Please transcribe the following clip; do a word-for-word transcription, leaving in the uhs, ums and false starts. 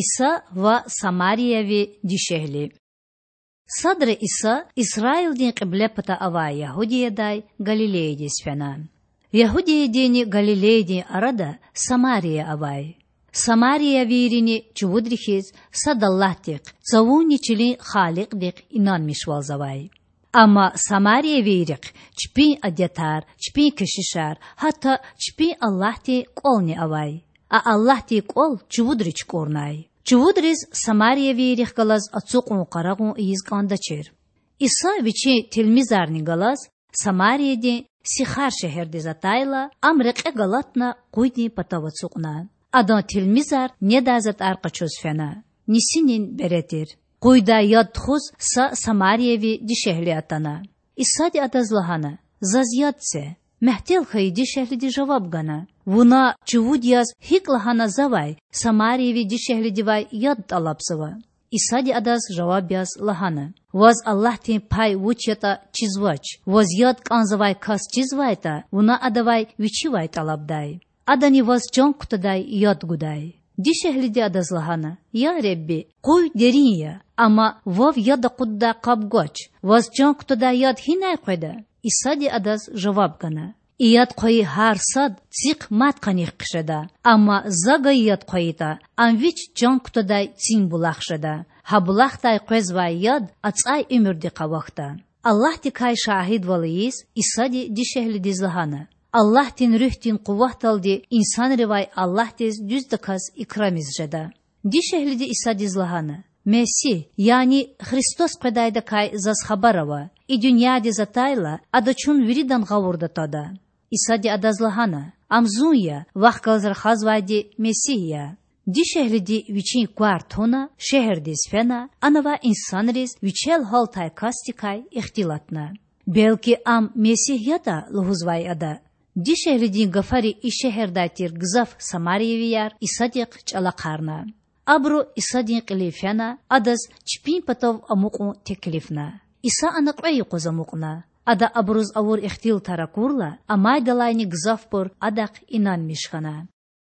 Иса ва самарияви дишегьли. Садра Иса Исраилдин кьиблепата авай Ягьудиядай Галилеядиз фена. Ягьудиядинни Галилеядин арада Самария авай. Самариявийрини чувудри хьиз сад Аллагьдихъ, цавунни чилин Халикьдихъ инанмишвалзавай. Амма самариявийрихъ чпин адетар, чпин кешишар, гьатта чпин Аллагьдин кІвални авай. А Аллагьдин кІвал чувудри чукІурнай. Чувудриз самариявийрихъ галаз ацукьун-къарагъун ийиз кІандачир. Иса Вичин тилмизарни галаз Самариядин Сихар шегьердиз атайла, ам рекье галатна къуйдин патав ацукьна. Адан тилмизар недай затІар къачуз фена. Нисинин бере тир. Къуйдай яд тухуз са самариявий дишегьли атана. Исади адаз лагьана: Заз яд це. Мягьтел хьайи дишегьлиди жаваб гана: Вуна чувуд яз гьикІ лагьана завай самариявий дишегьлидивай яд тІалабзава? Исади адаз жаваб яз лагьана: Ваз Аллагьдин пай вуч ятІа чизвач. Ваз яд кІанзавай кас чизвайтІа, вуна адавай вичивай тІалабдай. Адани ваз чан кутадай яд гудай. Дишегьлиди адаз лагьана: Я Худа, къуй дерин я, амма вав яд акъуддай къаб гвач. Ваз чан кутадай яд гьинай къведа? Исади адаз жаваб гана: И яд хъвайи гьар сад цихъ мад къаних хъжеда, амма За гайи яд хъвайитІа, ам вич чан кутадай цин булах жеда. Гьа булахдай къвезвай яд ацІай уьмуьрдихъ авахьда. Аллагьдикай шагьидвал ийиз, Исади дишегьлидиз лагьана: Аллагьдин Руьгьдин къуватдалди инсанривай Аллагьдиз дуьздаказ икрамиз жеда. Дишегьлиди Исадиз лагьана: Месигь, яни Христос къведайдакай заз хабар ава. И дуьньядиз атайла, Ада чун виридан гъавурда твада. Исади адаз лагьана: Ам Зун я, вахъ галаз рахазвайди Месигь я. Дишегьлиди вичин квар туна, шегьердиз фена, ана авай инсанриз вичел гьалтай касдикай ихтилатна. Белки Ам Месигь ятІа лугьузвай Ада. Дишегьлидин гафари и шегьердай тир гзаф самариявияр Исадихъ чІалахъарна. Абуру Исадин кьилив фена, Адаз чпин патав амукьун теклифна. Иса ана кьве юкъуз амукьна. Ада абуруз авур ихтилатар акурла, амайдалайни гзафбур Адахъ инанмиш хьана.